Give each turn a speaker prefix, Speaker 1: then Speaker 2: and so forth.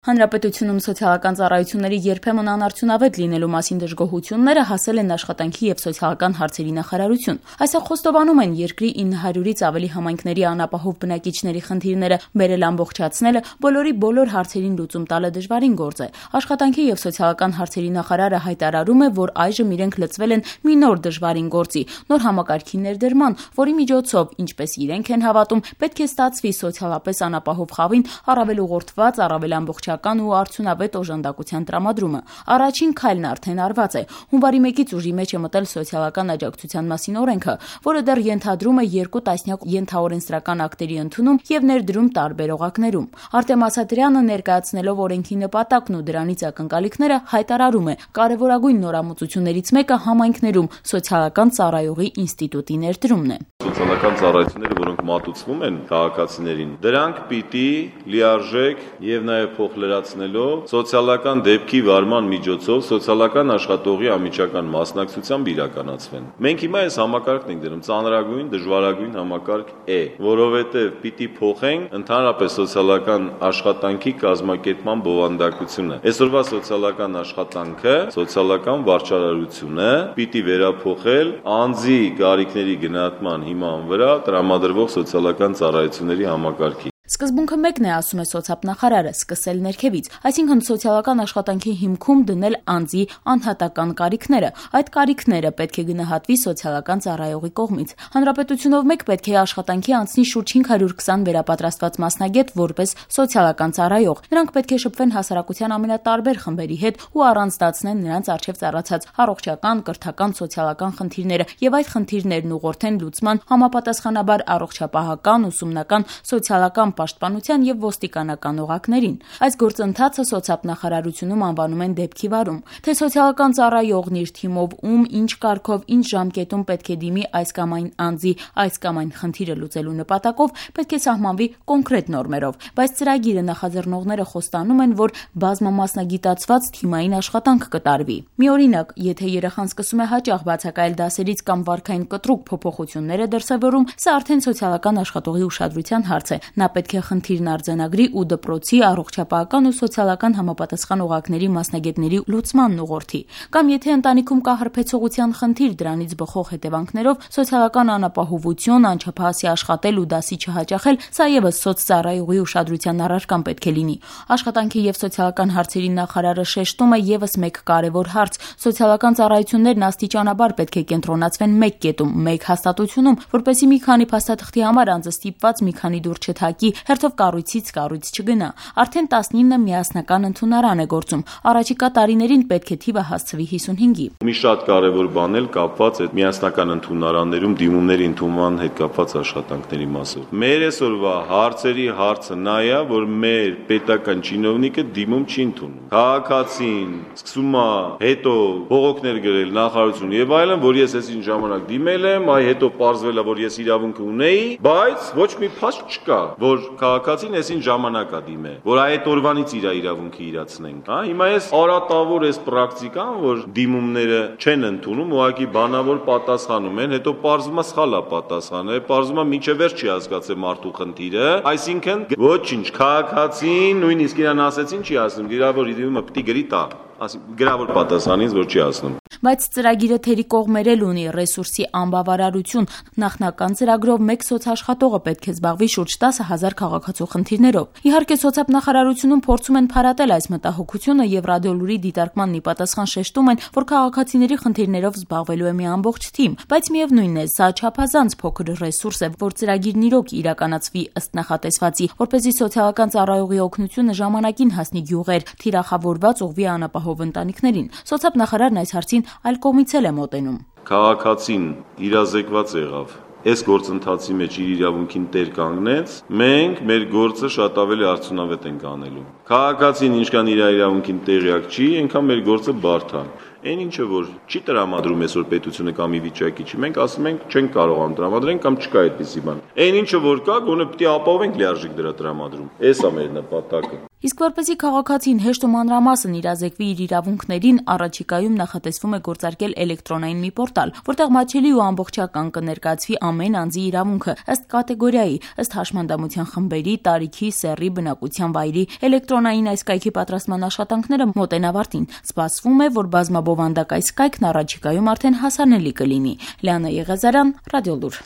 Speaker 1: Հանրապետությունում սոցիալական ծառայությունների երբեմն անարդյունավետ լինելու մասին դժգոհությունները հասել են աշխատանքի և սոցիալական հարցերի նախարարություն։ Այստեղ խոստովանում են, երկրի 900-ից ավելի համայնքների անապահով բնակիչների խնդիրները բերել ամբողջացնելը բոլորի բոլոր հարցերին լուծում տալը դժվարին գործ է։ Աշխատանքի և սոցիալական հարցերի նախարարը հայտարարում է, որ այժմ իրենք լծվել են մի նոր դժվարին գործի, նոր համակարգի ներդրման, որի միջոցով, ինչպես իրենք են հավատում, պետք է ստացվի սոցիալապես անապահով խավին առավել ուղղորդված, առավել ամբողջական ու արդյունավետ օժանդակության տրամադրումը։ Առաջին քայլն արդեն արված է։ Հունվարի 1-ից ուժի մեջ է մտել սոցիալական աջակցության մասին օրենքը, որը դեռ ենթադրում է 2 տասնյակ ենթաօրենսդրական ակտերի ընդունում եւ ներդրում տարբեր օղակներում։ Արտեմ Ասատրյանը ներկայացնելով օրենքի նպատակն ու դրանից ակնկալիքները հայտարարում է, կարևորագույն նորամուծություններից մեկը համայնքներում սոցիալական ծառայողի ինստիտուտի ներդրումն է։
Speaker 2: Սոցիալական ծառայությունները, որոնք մատուցվում են քաղաքացիներին, դրանք պիտի լիարժեք եւ նաեւ փոխլրացնելով սոցիալական դեպքի վարման միջոցով սոցիալական աշխատողի անմիջական մասնակցությամբ իրականացվեն։ Մենք հիմա այս համակարգն ենք դնում, ծանրագույն, դժվարագույն համակարգ է, որովհետեւ պիտի փոխենք ընդհանրապես սոցիալական աշխատանքի կազմակերպման բովանդակությունը։ Այսօրվա սոցիալական աշխատանքը, սոցիալական վարչարարությունը պիտի վերափոխել անձի կարիքների գնահատման հիման վրա տրամադրվող սոցիալական ծառայությունների համակարգի։
Speaker 1: Սկզբունքը մեկն է, ասում է սոցիալնախարարը, սկսել ներքևից, այսինքն սոցիալական աշխատանքի հիմքում դնել անձի անհատական կարիքները։ Այդ կարիքները պետք է գնահատվի սոցիալական ծառայողի կողմից։ Հանրապետությունով մեկ պետք է աշխատանքի անցնի շուրջ 520 վերապատրաստված մասնագետ որպես սոցիալական ծառայող։ Նրանք պետք է շփվեն հասարակության ամենատարբեր խմբերի հետ ու առանձնացնեն նրանց առջև ծառացած առողջական, կրթական, սոցիալական խնդիրները եւ այդ խնդիրներն ուղղորդեն լուծման համապատասխանաբար առողջապահական, ուսումնական, սոցիալական պաշտպանության եւ ոստիկանական օղակներին։ Այս գործընթացը սոցիալնախարարությունում անվանում են դեպքի վարում։ Թե սոցիալական ծառայողն իր թիմով ում, ինչ կարգով, ինչ ժամկետում պետք է դիմի այս կամ այն անձի այս կամ այն խնդիրը լուծելու նպատակով, պետք է սահմանվի կոնկրետ նորմերով, բայց ծրագիրը նախաձեռնողները խոստանում են, որ բազմամասնագիտացված թիմային աշխատանք կտարվի։ Մի օրինակ, եթե երեխան սկսում է հաճախ բացակայել դասերից կամ վարքային կտրուկ փոփոխություններ է դրսևորում, սա արդեն սոցիալական աշխատողի ուշադրության հարց է։ Նա պետք է խնդիրն արձանագրի ու դպրոցի, առողջապահական ու սոցիալական համապատասխան օղակների մասնագետների լուծմանն ուղղորդի։ Կամ եթե ընտանիքում կա հարբեցողության խնդիր, դրանից բխող հետևանքներով սոցիալական անապահովություն, անչափահասի աշխատել ու դասի չհաճախել, սա եւս սոցծառայողի ուշադրության առարկան պետք է լինի։ Աշխատանքի եւ սոցիալական հարցերի նախարարը շեշտում է եւս մեկ կարեւոր հարց. սոցիալական ծառայություններն աստիճանաբար պետք է կենտրոնացվեն մեկ կետում, մեկ հաստատությունում, որպեսզի մի քանի փաստաթղթի համար անձը ստիպված մի քանի դուր չթակի, հերթով կառույցից կառույց չգնա։ Արդեն 19 միասնական ընդունարան է գործում։ Առաջիկա տարիներին պետք է թիվը հասցվի 55-ի։
Speaker 2: Մի շատ կարևոր բան էլ կապված այդ միասնական ընդունարաններում դիմումների ընդունման հետ կապված աշխատանքների մասով։ Մեր այսօրվա հարցերի հարցը նա է, որ մեր պետական чиновнիկը դիմում չի ընդունում։ Քաղաքացին սկսում է հետո բողոքներ գրել նախարարություն եւ այլն, որ ես այսին ժամանակ դիմել եմ, այ հետո պարզվել է, որ ես իրավունք ունեի, բայց ոչ մի փաստ չկա, որ քաղաքացին այսին ժամանակ է դիմել, որ այդ օրվանից իր իրավունքը իրացնենք, հա։ Հիմա այս արատավոր այս պրակտիկան, որ դիմումները չեն ընդունում, ուղղակի բանավոր պատասխանում են, հետո պարզվում է սխալ է պատասխանել, պարզվում է մինչև վերջ չի հասկացել մարդու խնդիրը, այսինքն ոչինչ, քաղաքացին նույնիսկ իրան ասեցին չի ասում, գրավոր դիմումը պիտի գրի տա, գրավոր պատասխանից որ չի ասնում։
Speaker 1: Բայց ծրագիրը թերի կողմեր էլ ունի, ռեսուրսի անբավարարություն։ Նախնական ծրագրով մեկ սոցաշխատողը պետք է զբաղվի շուրջ 10,000 քաղաքացու խնդիրներով։ Իհարկե սոցիալնախարարությունում փորձում են փարատել այս մտահոգությունը եւ ռադիոլուրի դիտարկմանն ի պատասխան շեշտում են, որ քաղաքացիների խնդիրներով զբաղվելու է մի ամբողջ թիմ, բայց միևնույնն է, սա չափազանց փոքր ռեսուրս է, որ ծրագիրն իրոք իրականացվի ըստ նախատեսվածի, որպեսզի սոցիալական ծառայողի օգնությունը ժամանակին հասնի գյուղեր, թիրախավորված ուղղվի անապահով ընտանիքներին։ Սոցիալնախարարն այս հարցին այլ կողմից էլ է մոտենում։
Speaker 2: Քաղաքացին իրազեկված եղավ, այս գործընթացի մեջ իր իրավունքին տեր կանգնեց, մենք մեր գործը շատ ավելի արդյունավետ ենք անելու։ Քաղաքացին ինչքան իր իրավունքին տեղյակ չի, այնքան մեր գործը բարդ է։ Այն ինչը որ չի տրամադրում այսօր պետությունը կամ ի վիճակի չի, մենք ասում ենք չենք կարողանում տրամադրենք կամ չկա այդպիսի բան։ Այն ինչը որ կա, գոնե պիտի ապահովենք լիարժեք դրա տրամադրում։ Էս է մեր նպատակը։
Speaker 1: Իսկ որպեսզի քաղաքացին հեշտ ու մանրամասն իրազեկվի իր իրավունքներին, առաջիկայում նախատեսվում է գործարկել էլեկտրոնային մի պորտալ, որտեղ մատչելի ու ամբողջական կներկայացվի ամեն անձի իրավունքը ըստ կատեգորիայի, ըստ հաշմանդամության խմբերի, տարիքի, սեռի, բնակության վայրի, էլեկտրոնային կենտրոնային այս կայքի պատրաստման աշխատանքները մոտեն ավարտին։ Սպասվում է, որ բազմաբովանդակ այս կայքն առաջիկայում արդեն հասանելի կլինի։ Լիանա Եղազարյան, Ռադիոլուր։